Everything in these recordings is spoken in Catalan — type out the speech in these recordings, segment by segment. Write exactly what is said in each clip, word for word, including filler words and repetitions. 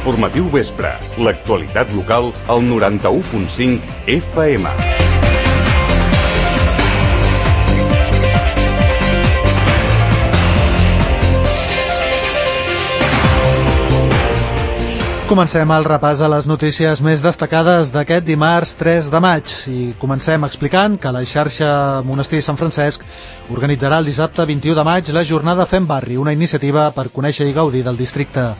Informatiu Vespre, l'actualitat local al noranta-u punt cinc F M. Comencem el repàs a les notícies més destacades d'aquest dimarts tres de maig i comencem explicant que la xarxa Monestir Sant Francesc organitzarà el dissabte vint-i-u de maig la jornada Fem Barri, una iniciativa per conèixer i gaudir del districte.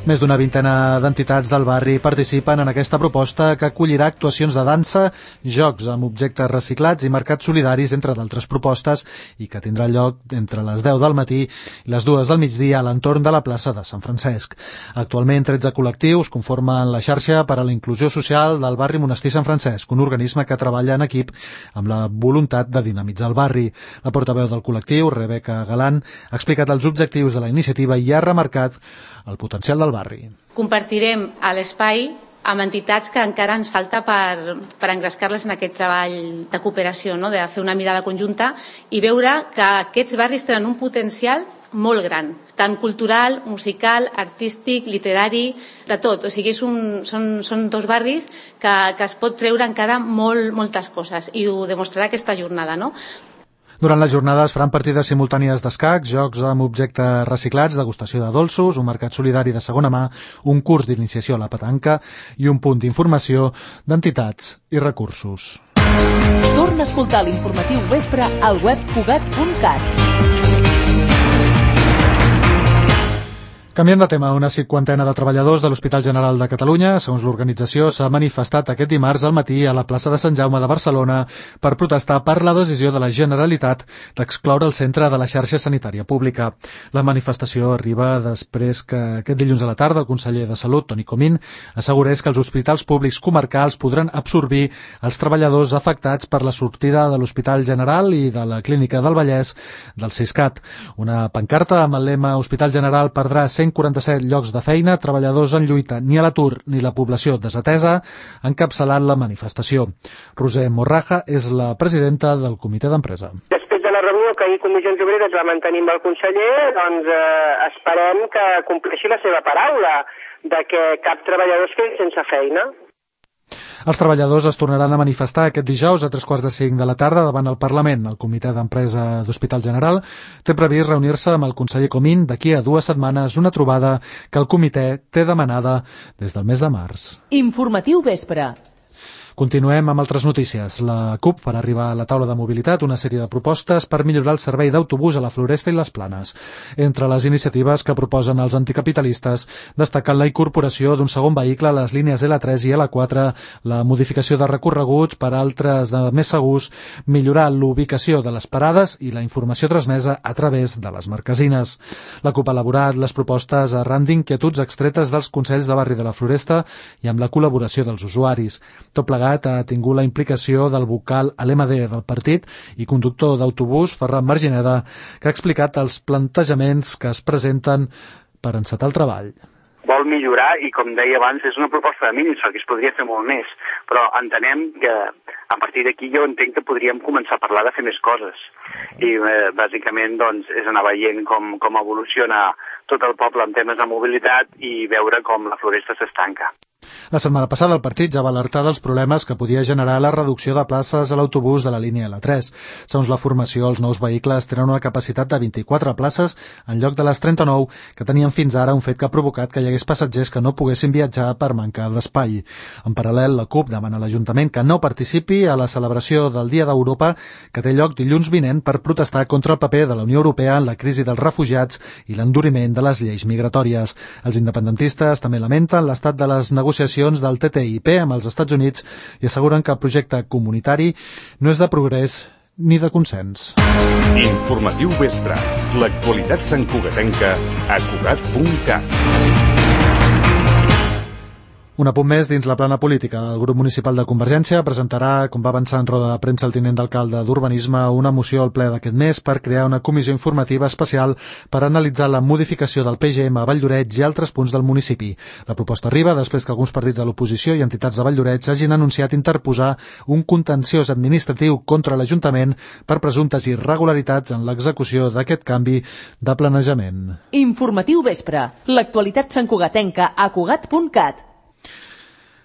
Més d'una vintena d'entitats del barri participen en aquesta proposta que acollirà actuacions de dansa, jocs amb objectes reciclats i mercats solidaris, entre d'altres propostes, i que tindrà lloc entre les deu del matí i les dues del migdia a l'entorn de la plaça de Sant Francesc. Actualment, tretze col·lectius conformen la xarxa per a la inclusió social del barri Monestir Sant Francesc, un organisme que treballa en equip amb la voluntat de dinamitzar el barri. La portaveu del col·lectiu, Rebeca Galán, ha explicat els objectius de la iniciativa i ha remarcat el potencial del barri. Compartirem a l'espai amb entitats que encara ens falta per, per engrescar-les en aquest treball de cooperació, no? De fer una mirada conjunta i veure que aquests barris tenen un potencial molt gran, tant cultural, musical, artístic, literari, de tot. O sigui, és un, són, són dos barris que, que es pot treure encara molt, moltes coses i ho demostrarà aquesta jornada, no? Durant la jornada es faran partides simultànies d'escacs, jocs amb objectes reciclats, degustació de dolços, un mercat solidari de segona mà, un curs d'iniciació a la petanca i un punt d'informació d'entitats i recursos. Torna a escoltar l'informatiu Vespre al web cugat punt cat. Canviant de tema, una cinquantena de treballadors de l'Hospital General de Catalunya, segons l'organització, s'ha manifestat aquest dimarts al matí a la plaça de Sant Jaume de Barcelona per protestar per la decisió de la Generalitat d'excloure el centre de la xarxa sanitària pública. La manifestació arriba després que aquest dilluns a la tarda el conseller de Salut, Toni Comín, assegurés que els hospitals públics comarcals podran absorbir els treballadors afectats per la sortida de l'Hospital General i de la Clínica del Vallès del Siscat. Una pancarta amb el lema Hospital General perdrà cent quaranta-set llocs de feina, treballadors en lluita, ni a l'atur ni la població desatesa, ha encapçalat la manifestació. Roser Morraja és la presidenta del comitè d'empresa. Després de la reunió que ahir Comissions Obreres va mantenir amb el conseller, doncs eh, esperem que compleixi la seva paraula de que cap treballador es quedi sense feina. Els treballadors es tornaran a manifestar aquest dijous a tres quarts de cinc de la tarda davant el Parlament. El comitè d'empresa d'Hospital General té previst reunir-se amb el conseller Comín d'aquí a dues setmanes, una trobada que el comitè té demanada des del mes de març. Informatiu Vespre. Continuem amb altres notícies. La CUP farà arribar a la taula de mobilitat una sèrie de propostes per millorar el servei d'autobús a la Floresta i les Planes. Entre les iniciatives que proposen els anticapitalistes destaquen la incorporació d'un segon vehicle a les línies L tres i L quatre, la modificació de recorreguts per altres de més segurs, millorar l'ubicació de les parades i la informació transmesa a través de les marquesines. La CUP ha elaborat les propostes arran d'inquietuds extretes dels consells de barri de la Floresta i amb la col·laboració dels usuaris. Tot plegat ha tingut la implicació del vocal a l'M D del partit i conductor d'autobús, Ferran Margineda, que ha explicat els plantejaments que es presenten per encetar el treball. Vol millorar i, com deia abans, és una proposta de mínims, perquè es podria fer molt més, però entenem que a partir d'aquí jo entenc que podríem començar a parlar de fer més coses i eh, bàsicament doncs, és anar veient com, com evoluciona tot el poble en temes de mobilitat i veure com la Floresta s'estanca. La setmana passada el partit ja va alertar dels problemes que podia generar la reducció de places a l'autobús de la línia L tres. Segons la formació, els nous vehicles tenen una capacitat de vint-i-quatre places en lloc de les trenta-nou que tenien fins ara, un fet que ha provocat que hi hagués passatgers que no poguessin viatjar per mancar d'espai. En paral·lel, la CUP demana a l'Ajuntament que no participi a la celebració del Dia d'Europa que té lloc dilluns vinent per protestar contra el paper de la Unió Europea en la crisi dels refugiats i l'enduriment de les lleis migratòries. Els independentistes també lamenten l'estat de les negociacions del T T I P amb els Estats Units i asseguren que el projecte comunitari no és de progrés ni de consens. Informatiu Vespre, l'actualitat santcugatenca a cugat punt cat. Un apunt més dins la plana política. El grup municipal de Convergència presentarà, com va avançar en roda de premsa el tinent d'alcalde d'Urbanisme, una moció al ple d'aquest mes per crear una comissió informativa especial per analitzar la modificació del P G M a Valldoreix i altres punts del municipi. La proposta arriba després que alguns partits de l'oposició i entitats de Valldoreix hagin anunciat interposar un contenciós administratiu contra l'Ajuntament per presumptes irregularitats en l'execució d'aquest canvi de planejament. Informatiu vespre. L'actualitat santcugatenca a cugat punt cat.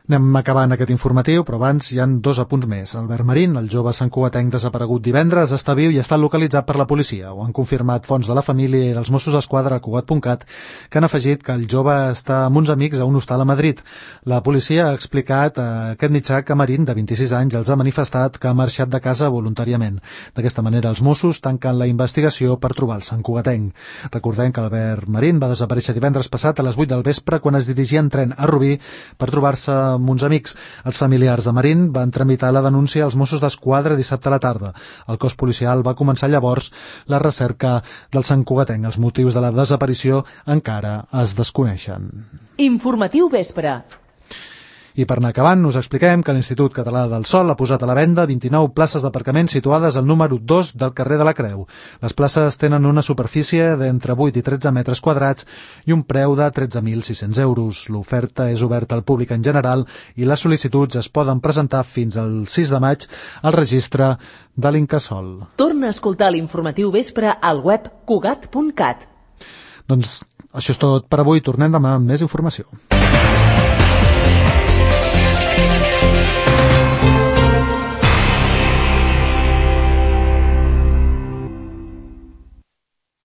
Anem acabant aquest informatiu, però abans hi han dos apunts més. Albert Marín, el jove santcugatenc desaparegut divendres, està viu i està localitzat per la policia. Ho han confirmat fonts de la família i dels Mossos d'Esquadra a cugat punt cat, que han afegit que el jove està amb uns amics a un hostal a Madrid. La policia ha explicat a aquest mitjà que Marín, de vint-i-sis anys, els ha manifestat que ha marxat de casa voluntàriament. D'aquesta manera, els Mossos tanquen la investigació per trobar el santcugatenc. Recordem que Albert Marín va desaparèixer divendres passat a les vuit del vespre quan es dirigia en tren a Rubí per trobar-se amb uns amics. Els familiars de Marín van tramitar la denúncia als Mossos d'Esquadra dissabte a la tarda. El cos policial va començar llavors la recerca del santcugatenc. Els motius de la desaparició encara es desconeixen. Informatiu vespre. I per anar acabant, us expliquem que l'Institut Català del Sòl ha posat a la venda vint-i-nou places d'aparcament situades al número dos del carrer de la Creu. Les places tenen una superfície d'entre vuit i tretze metres quadrats i un preu de tretze mil sis-cents euros. L'oferta és oberta al públic en general i les sol·licituds es poden presentar fins al sis de maig al registre de l'Incasòl. Torna a escoltar l'informatiu vespre al web cugat punt cat. Doncs això és tot per avui. Tornem demà amb més informació.